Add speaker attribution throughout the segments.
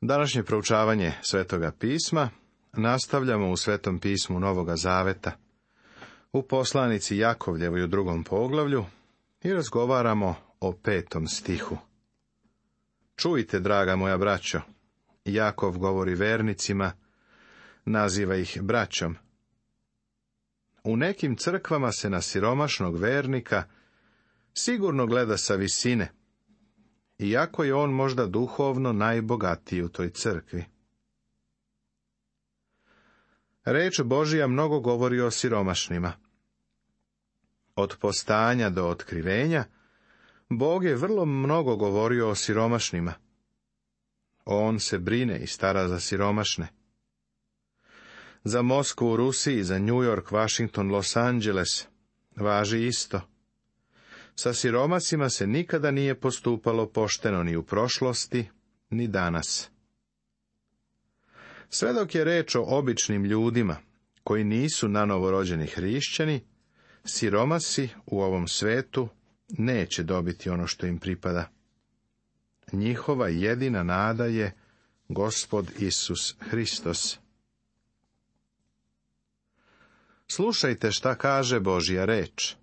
Speaker 1: Današnje proučavanje Svetoga pisma nastavljamo u Svetom pismu Novoga Zaveta, u poslanici Jakovljevoj u 2. poglavlju i razgovaramo o 5. stihu. Čujte, draga moja braćo, Jakov govori vernicima, naziva ih braćom. U nekim crkvama se na siromašnog vernika sigurno gleda sa visine, iako je on možda duhovno najbogatiji u toj crkvi. Reč Božija mnogo govori o siromašnima. Od postanja do otkrivenja, Bog je vrlo mnogo govorio o siromašnima. On se brine i stara za siromašne. Za Moskvu u Rusiji, za New York, Washington, Los Angeles važi isto. Sa siromasima se nikada nije postupalo pošteno ni u prošlosti, ni danas. Sve dok je reč o običnim ljudima, koji nisu nanovorođeni hrišćani, siromasi u ovom svetu neće dobiti ono što im pripada. Njihova jedina nada je Gospod Isus Hristos. Slušajte šta kaže Božja reč.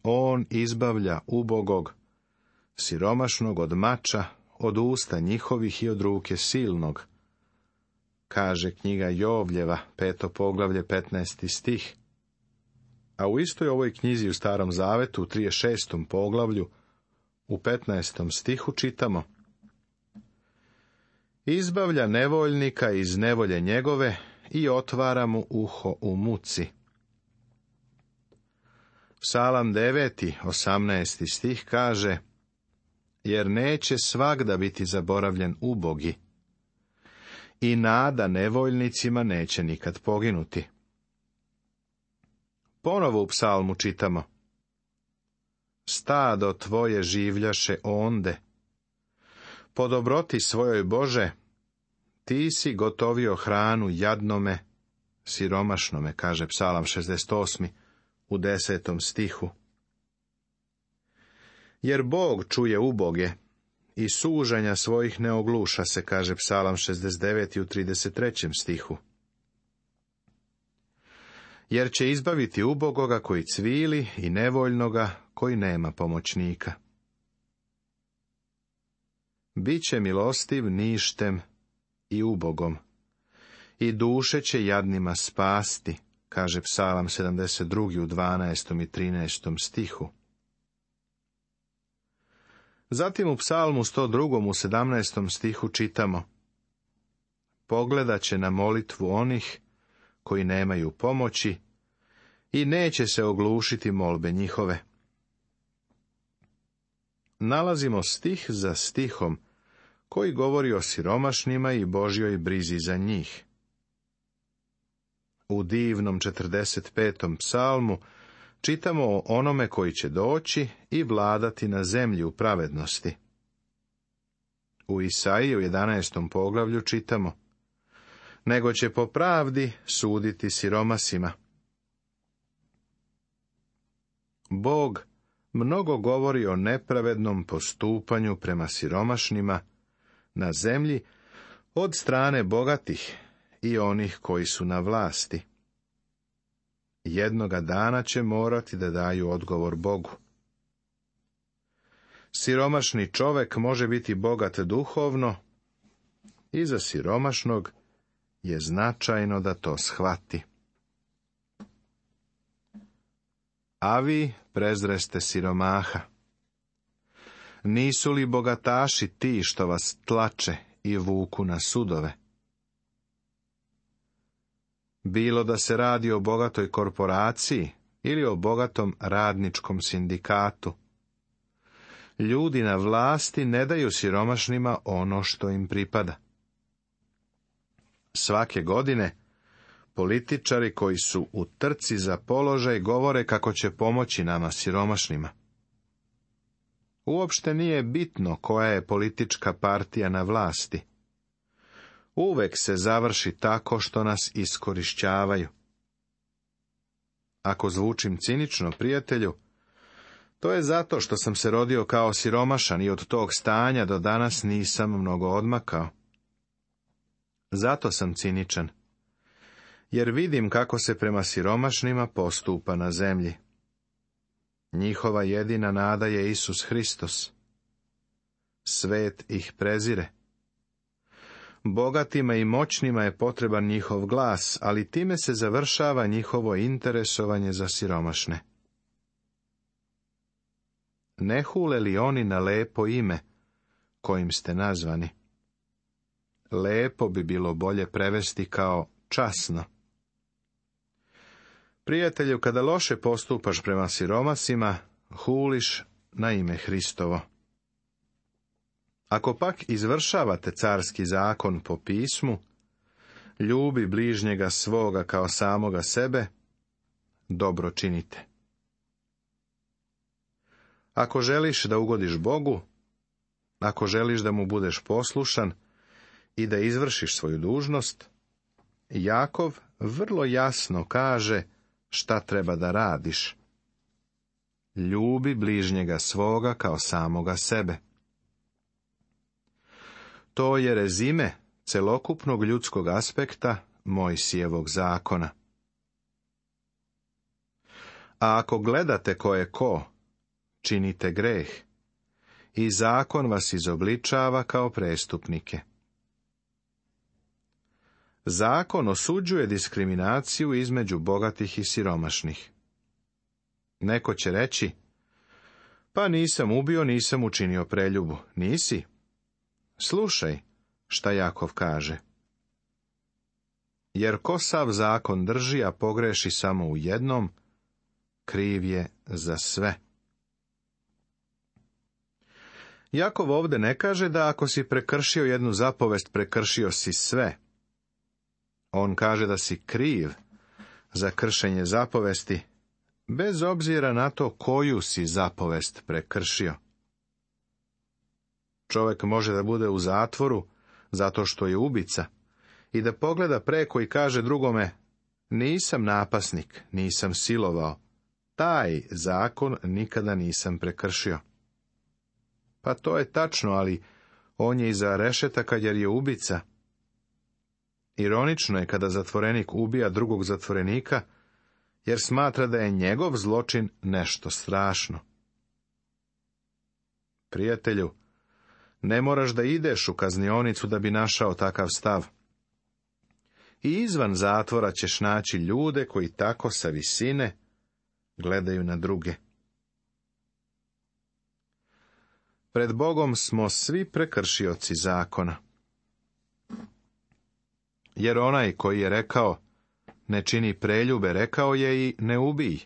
Speaker 1: On izbavlja ubogog, siromašnog od mača, od usta njihovih i od ruke silnog, kaže knjiga Jovljeva, 5. poglavlje, 15. stih. A u istoj ovoj knjizi u Starom Zavetu, u 36. poglavlju, u 15. stihu čitamo: izbavlja nevoljnika iz nevolje njegove i otvara mu uho u muci. Psalam 9. 18. stih kaže: jer neće svagda biti zaboravljen ubogi i nada nevoljnicima neće nikad poginuti. Ponovo u psalmu čitamo: stado tvoje življaše onde, po dobroti svojoj Bože, ti si gotovio hranu jadnome, siromašnome, kaže Psalam 68. u 10. stihu. Jer Bog čuje uboge i sužanja svojih ne ogluša se, kaže Psalam 69. u 33. stihu. Jer će izbaviti ubogoga koji cvili i nevoljnoga koji nema pomoćnika. Biće milostiv ništem i ubogom i duše će jadnima spasti, kaže Psalam 72. u 12. i 13. stihu. Zatim u Psalmu 102. u 17. stihu čitamo: pogledat će na molitvu onih koji nemaju pomoći i neće se oglušiti molbe njihove. Nalazimo stih za stihom koji govori o siromašnima i Božjoj brizi za njih. U divnom 45. psalmu čitamo o onome koji će doći i vladati na zemlji u pravednosti. U Isaiji u 11. poglavlju čitamo: nego će po pravdi suditi siromasima. Bog mnogo govori o nepravednom postupanju prema siromašnima na zemlji od strane bogatih i onih koji su na vlasti. Jednoga dana će morati da daju odgovor Bogu. Siromašni čovek može biti bogat duhovno i za siromašnog je značajno da to shvati. A vi prezreste siromaha. Nisu li bogataši ti što vas tlače i vuku na sudove? Bilo da se radi o bogatoj korporaciji ili o bogatom radničkom sindikatu, ljudi na vlasti ne daju siromašnima ono što im pripada. Svake godine političari koji su u trci za položaj govore kako će pomoći nama siromašnima. Uopšte nije bitno koja je politička partija na vlasti. Uvek se završi tako što nas iskorišćavaju. Ako zvučim cinično, prijatelju, To je zato što sam se rodio kao siromašan i od tog stanja do danas nisam mnogo odmakao. Zato sam ciničan, jer vidim kako se prema siromašnima postupa na zemlji. Njihova jedina nada je Isus Hristos. Svet ih prezire. Bogatima i moćnima je potreban njihov glas, ali time se završava njihovo interesovanje za siromašne. Ne hule li oni na lepo ime kojim ste nazvani? Lepo bi bilo bolje prevesti kao časno. Prijatelju, kada loše postupaš prema siromasima, huliš na ime Hristovo. Ako pak izvršavate carski zakon po pismu, ljubi bližnjega svoga kao samoga sebe, dobro činite. Ako želiš da ugodiš Bogu, ako želiš da mu budeš poslušan i da izvršiš svoju dužnost, Jakov vrlo jasno kaže šta treba da radiš. Ljubi bližnjega svoga kao samoga sebe. To je rezime celokupnog ljudskog aspekta Mojsijevog zakona. A ako gledate ko je ko, činite greh, i zakon vas izobličava kao prestupnike. Zakon osuđuje diskriminaciju između bogatih i siromašnih. Neko će reći, pa nisam ubio, nisam učinio preljubu. Nisi? Slušaj šta Jakov kaže. Jer ko sav zakon drži, a pogreši samo u jednom, kriv je za sve. Jakov ovdje ne kaže da ako si prekršio jednu zapovest, prekršio si sve. On kaže da si kriv za kršenje zapovesti, bez obzira na to koju si zapovest prekršio. Čovjek može da bude u zatvoru zato što je ubica i da pogleda preko i kaže drugome, nisam napasnik, nisam silovao, taj zakon nikada nisam prekršio. Pa to je tačno, ali on je iza rešetaka jer je ubica. Ironično je kada zatvorenik ubija drugog zatvorenika, jer smatra da je njegov zločin nešto strašno. Prijatelju, ne moraš da ideš u kaznionicu da bi našao takav stav. I izvan zatvora ćeš naći ljude koji tako sa visine gledaju na druge. Pred Bogom smo svi prekršioci zakona. Jer onaj koji je rekao, ne čini preljube, rekao je i ne ubij.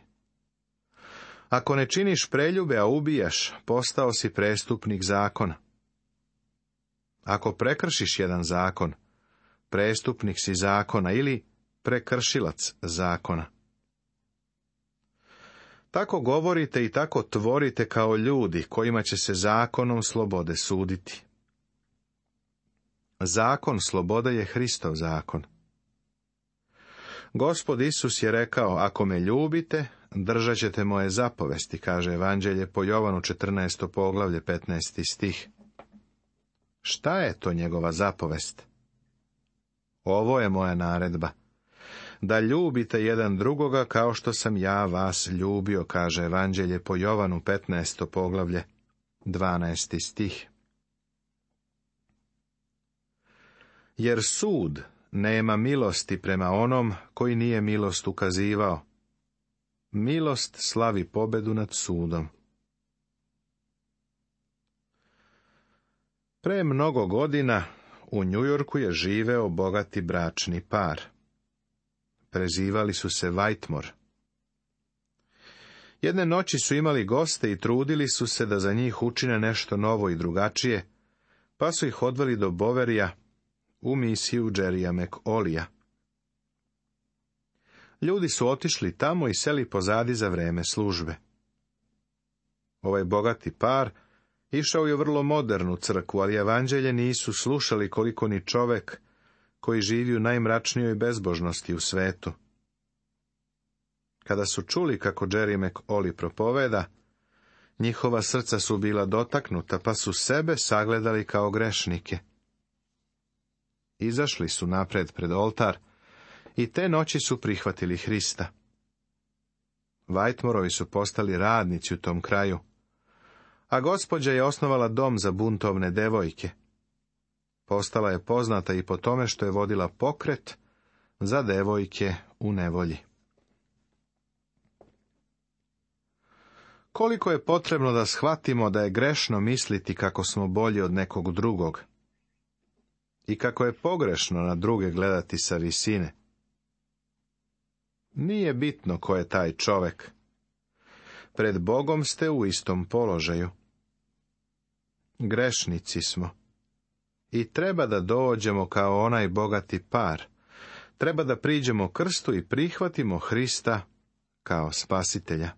Speaker 1: Ako ne činiš preljube, a ubijaš, postao si prestupnik zakona. Ako prekršiš jedan zakon, prestupnik si zakona ili prekršilac zakona. Tako govorite i tako tvorite kao ljudi kojima će se zakonom slobode suditi. Zakon slobode je Hristov zakon. Gospod Isus je rekao, ako me ljubite, držat ćete moje zapovesti, kaže Evanđelje po Jovanu 14. poglavlje 15. stih. Šta je to njegova zapovest? Ovo je moja naredba. Da ljubite jedan drugoga kao što sam ja vas ljubio, kaže Evanđelje po Jovanu 15. poglavlje 12. stih. Jer sud nema milosti prema onom koji nije milost ukazivao. Milost slavi pobedu nad sudom. Pre mnogo godina u Njujorku je živeo bogati bračni par. Prezivali su se Whitmore. Jedne noći su imali goste i trudili su se da za njih učine nešto novo i drugačije, pa su ih odveli do Boverija u misiju Jerrya McAuleyja. Ljudi su otišli tamo i seli pozadi za vreme službe. Ovaj bogati par išao je vrlo modernu crkvu, ali evanđelje nisu slušali koliko ni čovek koji živi u najmračnijoj bezbožnosti u svetu. Kada su čuli kako Jerry McAuley propoveda, Njihova srca su bila dotaknuta, pa su sebe sagledali kao grešnike. Izašli su napred pred oltar i te noći su prihvatili Hrista. Whitmorovi su postali radnici u tom kraju, a gospođa je osnovala dom za buntovne devojke. Postala je poznata i po tome što je vodila pokret za devojke u nevolji. Koliko je potrebno da shvatimo da je grešno misliti kako smo bolji od nekog drugog i kako je pogrešno na druge gledati sa visine. Nije bitno ko je taj čovek. Pred Bogom ste u istom položaju. Grešnici smo. I treba da dođemo kao onaj bogati par. Treba da priđemo krstu i prihvatimo Hrista kao spasitelja.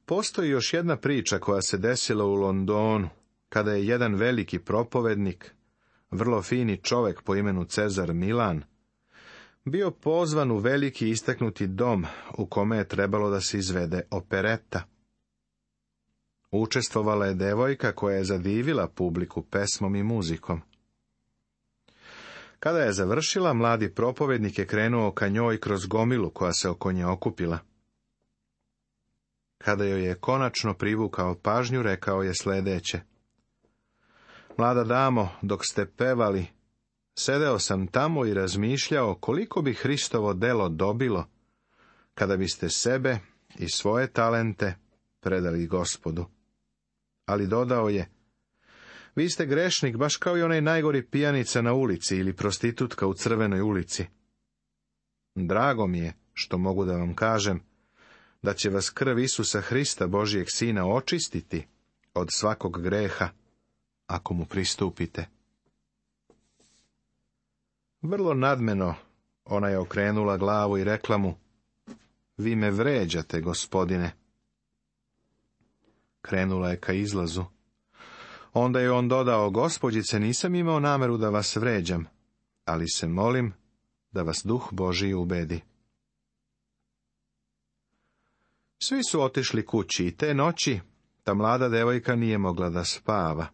Speaker 1: Postoji još jedna priča koja se desila u Londonu, kada je jedan veliki propovednik, vrlo fini čovek po imenu Cezar Milan, bio pozvan u veliki istaknuti dom u kome je trebalo da se izvede opereta. Učestvovala je devojka koja je zadivila publiku pesmom i muzikom. Kada je završila, mladi propovednik je krenuo ka njoj kroz gomilu koja se oko nje okupila. Kada joj je konačno privukao pažnju, rekao je sledeće: Mlada damo, dok ste pevali, sedeo sam tamo i razmišljao koliko bi Hristovo delo dobilo kada biste sebe i svoje talente predali Gospodu. Ali dodao je: Vi ste grešnik baš kao i onaj najgori pijanica na ulici ili prostitutka u Crvenoj ulici. Drago mi je što mogu da vam kažem da će vas krv Isusa Hrista, Božijeg Sina, očistiti od svakog greha, ako mu pristupite. Vrlo nadmeno ona je okrenula glavu i rekla mu: Vi me vređate, Gospodine. Krenula je ka izlazu. Onda je on dodao: Gospođice, nisam imao nameru da vas vređam, ali se molim da vas Duh Božiji ubedi. Svi su otišli kući i te noći ta mlada devojka nije mogla da spava.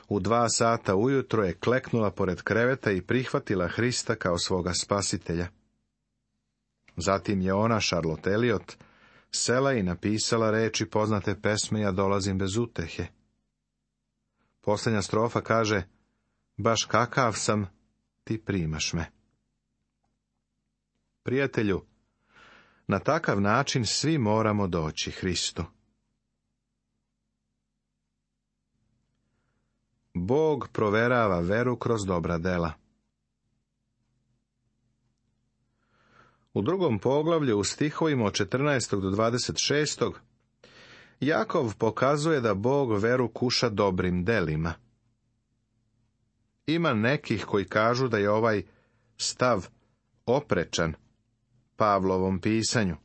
Speaker 1: U 2 sata ujutro je kleknula pored kreveta i prihvatila Hrista kao svoga spasitelja. Zatim je ona, Charlotte Elliot, sela i napisala reči poznate pesme Ja dolazim bez utehe. Posljednja strofa kaže: Baš kakav sam, ti primaš me. Prijatelju, na takav način svi moramo doći Hristu. Bog proverava veru kroz dobra dela. U 2. poglavlju u stihovima od 14. do 26. Jakov pokazuje da Bog veru kuša dobrim delima. Ima nekih koji kažu da je ovaj stav oprečan Pavlovom pisanju,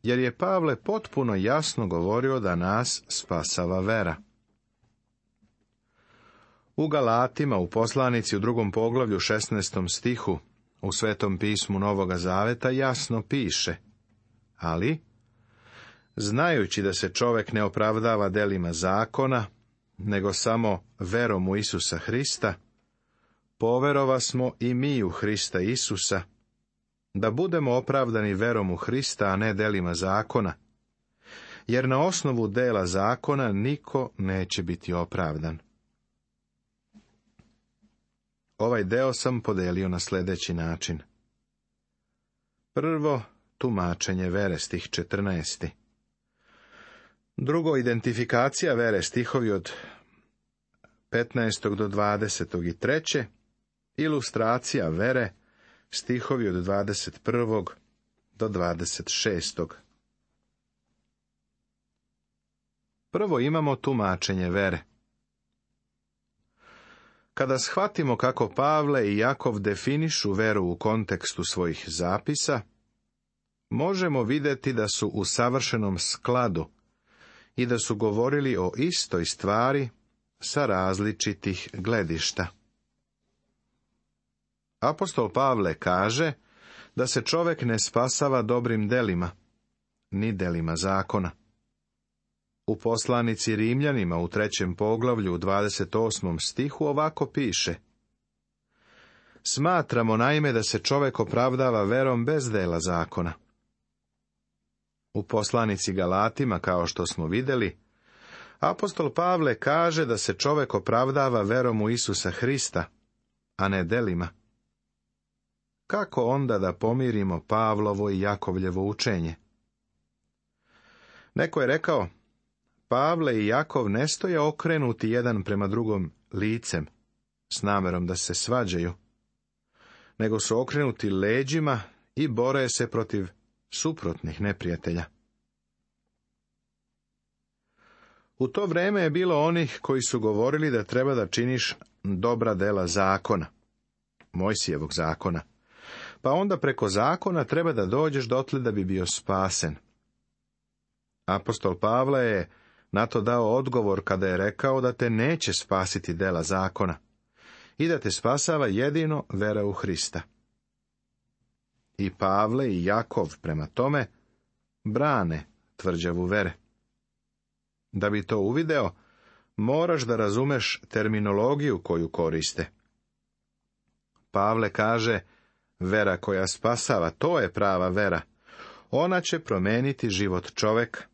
Speaker 1: jer je Pavle potpuno jasno govorio da nas spasava vera. U Galatima, u poslanici u 2. poglavlju 16. stihu, u Svetom pismu Novoga Zaveta jasno piše: Ali, znajući da se čovek ne opravdava delima zakona, nego samo verom u Isusa Hrista, poverova smo i mi u Hrista Isusa, da budemo opravdani verom u Hrista, a ne delima zakona, jer na osnovu dela zakona niko neće biti opravdan. Ovaj deo sam podelio na sljedeći način. Prvo, tumačenje vere, stih 14. Drugo, identifikacija vere, stihovi od 15. do 20. I treće, ilustracija vere, stihovi od 21. do 26. Prvo imamo tumačenje vere. Kada shvatimo kako Pavle i Jakov definišu veru u kontekstu svojih zapisa, možemo vidjeti da su u savršenom skladu i da su govorili o istoj stvari sa različitih gledišta. Apostol Pavle kaže da se čovek ne spasava dobrim delima, ni delima zakona. U poslanici Rimljanima u 3. poglavlju u 28. stihu ovako piše: Smatramo naime da se čovek opravdava verom bez dela zakona. U poslanici Galatima, kao što smo vidjeli, apostol Pavle kaže da se čovek opravdava verom u Isusa Hrista, a ne delima. Kako onda da pomirimo Pavlovo i Jakovljevo učenje? Neko je rekao: Pavle i Jakov ne stoje okrenuti jedan prema drugom licem, s namerom da se svađaju, nego su okrenuti leđima i bore se protiv suprotnih neprijatelja. U to vrijeme je bilo onih koji su govorili da treba da činiš dobra dela zakona, Mojsijevog zakona, pa onda preko zakona treba da dođeš dotle da bi bio spasen. Apostol Pavle je na to dao odgovor kada je rekao da te neće spasiti dela zakona i da te spasava jedino vera u Hrista. I Pavle i Jakov prema tome brane tvrđavu vere. Da bi to uvideo, moraš da razumeš terminologiju koju koriste. Pavle kaže: vera koja spasava, to je prava vera. Ona će promeniti život čoveka.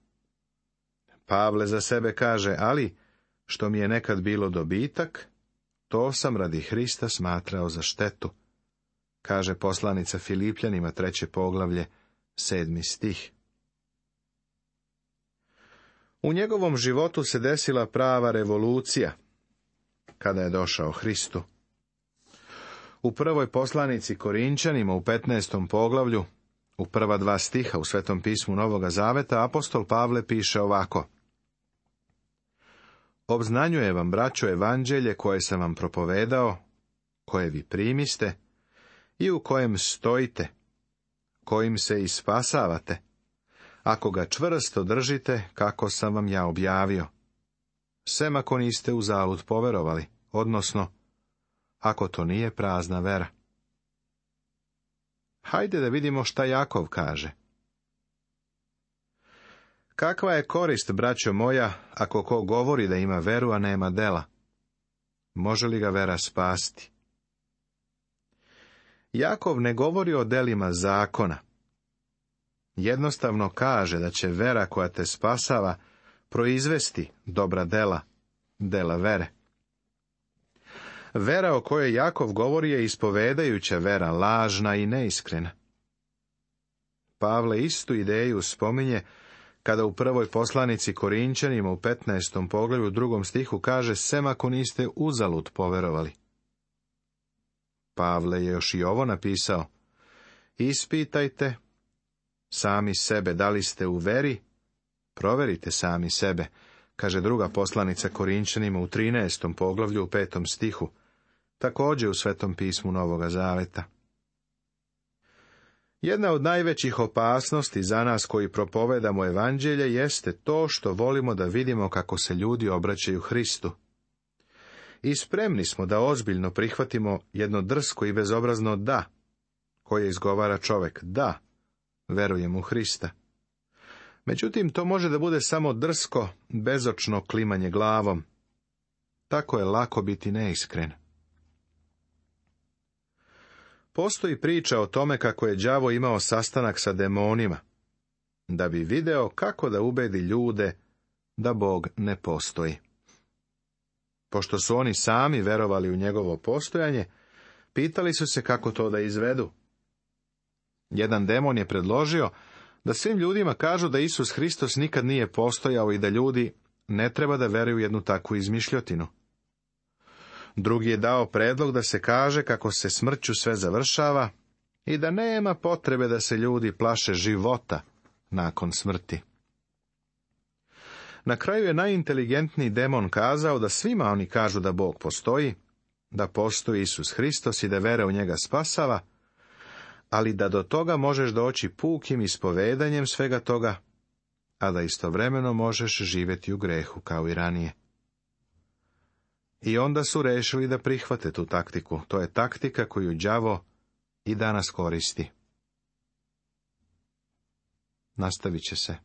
Speaker 1: Pavle za sebe kaže: ali što mi je nekad bilo dobitak, to sam radi Hrista smatrao za štetu. Kaže poslanica Filipljanima 3. poglavlje 7. stih. U njegovom životu se desila prava revolucija kada je došao Hristu. U prvoj poslanici Korinčanima u 15. poglavlju, u prva 2 stiha u Svetom pismu Novoga Zaveta, apostol Pavle piše ovako: Obznanjuje vam, braćo, evanđelje koje sam vam propovedao, koje vi primiste i u kojem stojite, kojim se i spasavate, ako ga čvrsto držite kako sam vam ja objavio, sem ako niste uzalud poverovali, odnosno ako to nije prazna vera. Hajde da vidimo šta Jakov kaže. Kakva je korist, braćo moja, ako ko govori da ima veru, a nema dela? Može li ga vera spasti? Jakov ne govori o delima zakona. Jednostavno kaže da će vera koja te spasava proizvesti dobra dela, dela vere. Vera o kojoj Jakov govori je ispovedajuća vera, lažna i neiskrena. Pavle istu ideju spominje kada u prvoj poslanici Korinčanima u 15. poglavlju 2. stihu kaže: sem ako niste uzalud poverovali. Pavle je još i ovo napisao: ispitajte sami sebe da li ste u veri, proverite sami sebe, kaže druga poslanica Korinčanima u 13. poglavlju u 5. stihu, također u Svetom pismu Novoga Zaveta. Jedna od najvećih opasnosti za nas koji propovedamo evanđelje jeste to što volimo da vidimo kako se ljudi obraćaju Hristu. I spremni smo da ozbiljno prihvatimo jedno drsko i bezobrazno da, koje izgovara čovjek: da, verujem u Hrista. Međutim, to može da bude samo drsko, bezočno klimanje glavom. Tako je lako biti neiskren. Postoji priča o tome kako je đavo imao sastanak sa demonima, da bi video kako da ubedi ljude da Bog ne postoji. Pošto su oni sami verovali u njegovo postojanje, pitali su se kako to da izvedu. Jedan demon je predložio da svim ljudima kažu da Isus Hristos nikad nije postojao i da ljudi ne treba da veruju jednu takvu izmišljotinu. Drugi je dao predlog da se kaže kako se smrću sve završava i da nema potrebe da se ljudi plaše života nakon smrti. Na kraju je najinteligentniji demon kazao da svima oni kažu da Bog postoji, da postoji Isus Hristos i da vera u njega spasava, ali da do toga možeš doći pukim ispovedanjem svega toga, a da istovremeno možeš živjeti u grehu kao i ranije. I onda su rešili da prihvate tu taktiku. To je taktika koju đavo i danas koristi. nastavit će se.